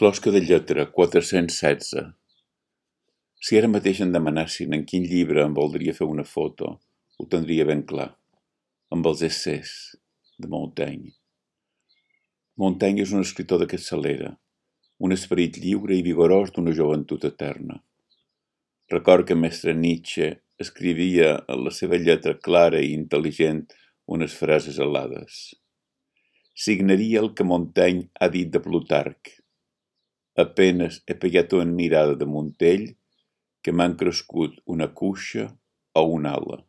Closca de lletra, 416. Si ara mateix em demanessin en quin llibre em voldria fer una foto, ho tindria ben clar. Amb els essès de Montaigne. Montaigne és un escriptor de capçalera, un esperit lliure i vigorós d'una joventut eterna. Record que mestre Nietzsche escrivia en la seva lletra clara i intel·ligent unes frases alades. Signaria el que Montaigne ha dit de Plutarc. Apenes he pegat una mirada de Montell que m'han crescut una cuixa o una ala.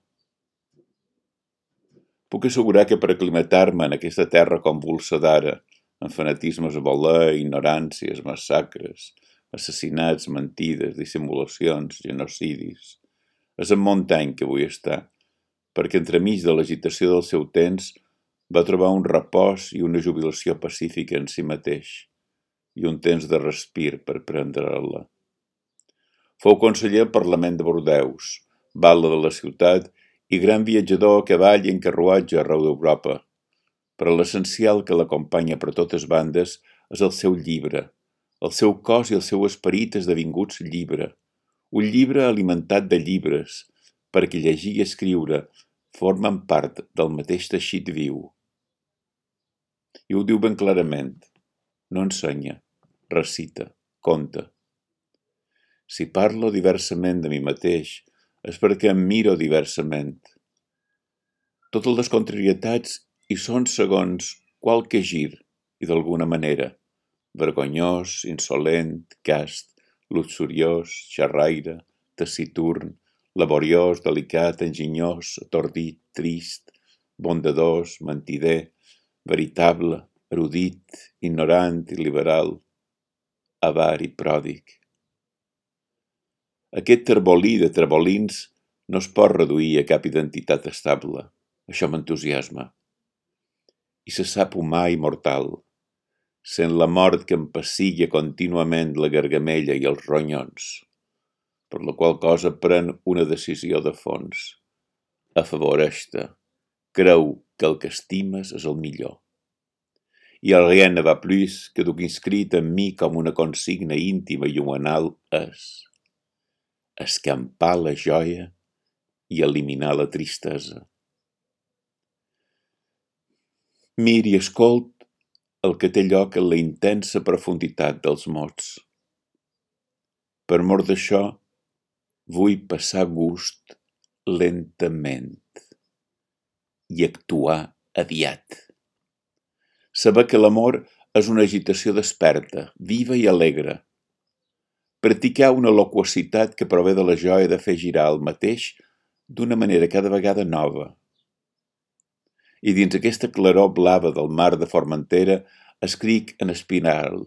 Puc assegurar que per aclimatar-me en aquesta terra convulsa d'ara, amb fanatismes a voler, ignoràncies, massacres, assassinats, mentides, dissimulacions, genocidis, és en Montaigne que vull estar, perquè entremig de l'agitació del seu temps va trobar un repòs i una jubilació pacífica en si mateix, i un temps de respir per prendre-la. Fou conseller al Parlament de Bordeus, batlle de la ciutat i gran viatjador a cavall i en carruatge arreu d'Europa. Però l'essencial que l'acompanya per totes bandes és el seu llibre, el seu cos i el seu esperit esdevinguts llibre, un llibre alimentat de llibres, perquè llegir i escriure formen part del mateix teixit viu. I ho diu ben clarament. No ensenya, recita, conta. Si parlo diversament de mi mateix, és perquè em miro diversament. Totes les contrarietats hi són segons qualque gir i d'alguna manera. Vergonyós, insolent, cast, luxuriós, xerraire, taciturn, laboriós, delicat, enginyós, atordit, trist, bondadós, mentider, veritable, erudit, ignorant i liberal, avar i pròdig. Aquest terbolí de trebolins no es pot reduir a cap identitat estable. Això m'entusiasma. I se sap humà i mortal, sent la mort que em pessigua contínuament la gargamella i els ronyons, per la qual cosa pren una decisió de fons. Afavoreix-te. Creu que el que estimes és el millor. I el rien ne va plus que duc inscrit en mi com una consigna íntima i humanal és escampar la joia i eliminar la tristesa. Mir i escolt el que té lloc en la intensa profunditat dels mots. Per mort d'això, vull passar gust lentament i actuar aviat. Saber que l'amor és una agitació desperta, viva i alegre. Practicar una loquacitat que prové de la joia de fer girar el mateix d'una manera cada vegada nova. I dins aquesta claror blava del mar de Formentera escric en espiral,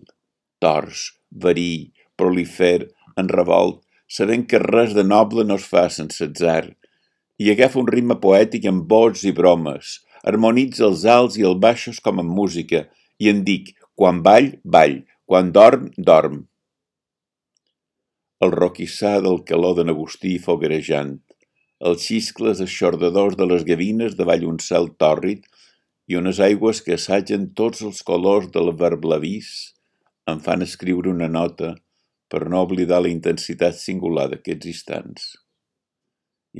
tors, verí, prolifer, en revolt, sabent que res de noble no es fa sense atzar, i agafa un ritme poètic amb vots i bromes, harmonitza els alts i els baixos com en música, i en dic, quan ball, ball, quan dorm, dorm. El roquissar del calor de n'Agustí foguerejant, els xiscles eixordadors de les gavines davall un cel tòrrid i unes aigües que assagen tots els colors del verblavís em fan escriure una nota per no oblidar la intensitat singular d'aquests instants.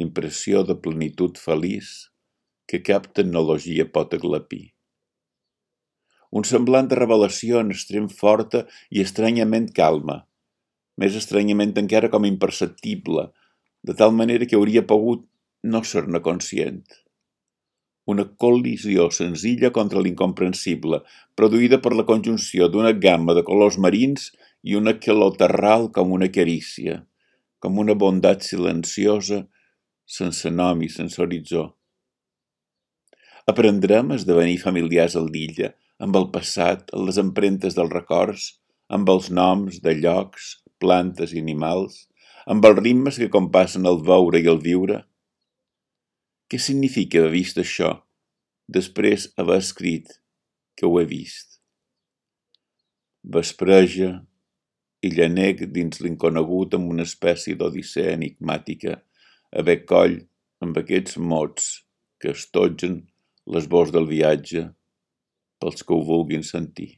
Impressió de plenitud feliç que cap tecnologia pot aglapir. Un semblant de revelació en extrem forta i estranyament calma, més estranyament encara com imperceptible, de tal manera que hauria pogut no ser-ne conscient. Una col·lisió senzilla contra l'incomprensible, produïda per la conjunció d'una gamma de colors marins i una calor terral com una carícia, com una bondat silenciosa, sense nom i sense horitzó. Aprendrem a esdevenir familiars al l'illa, amb el passat, amb les empremtes dels records, amb els noms de llocs, plantes i animals, amb els ritmes que compassen el veure i el viure. Què significa haver vist això, després haver escrit que ho he vist? Vespreja i llanec dins l'inconegut amb una espècie d'odissea enigmàtica, haver coll amb aquests mots que estotgen l'esbós del viatge pels que ho vulguin sentir.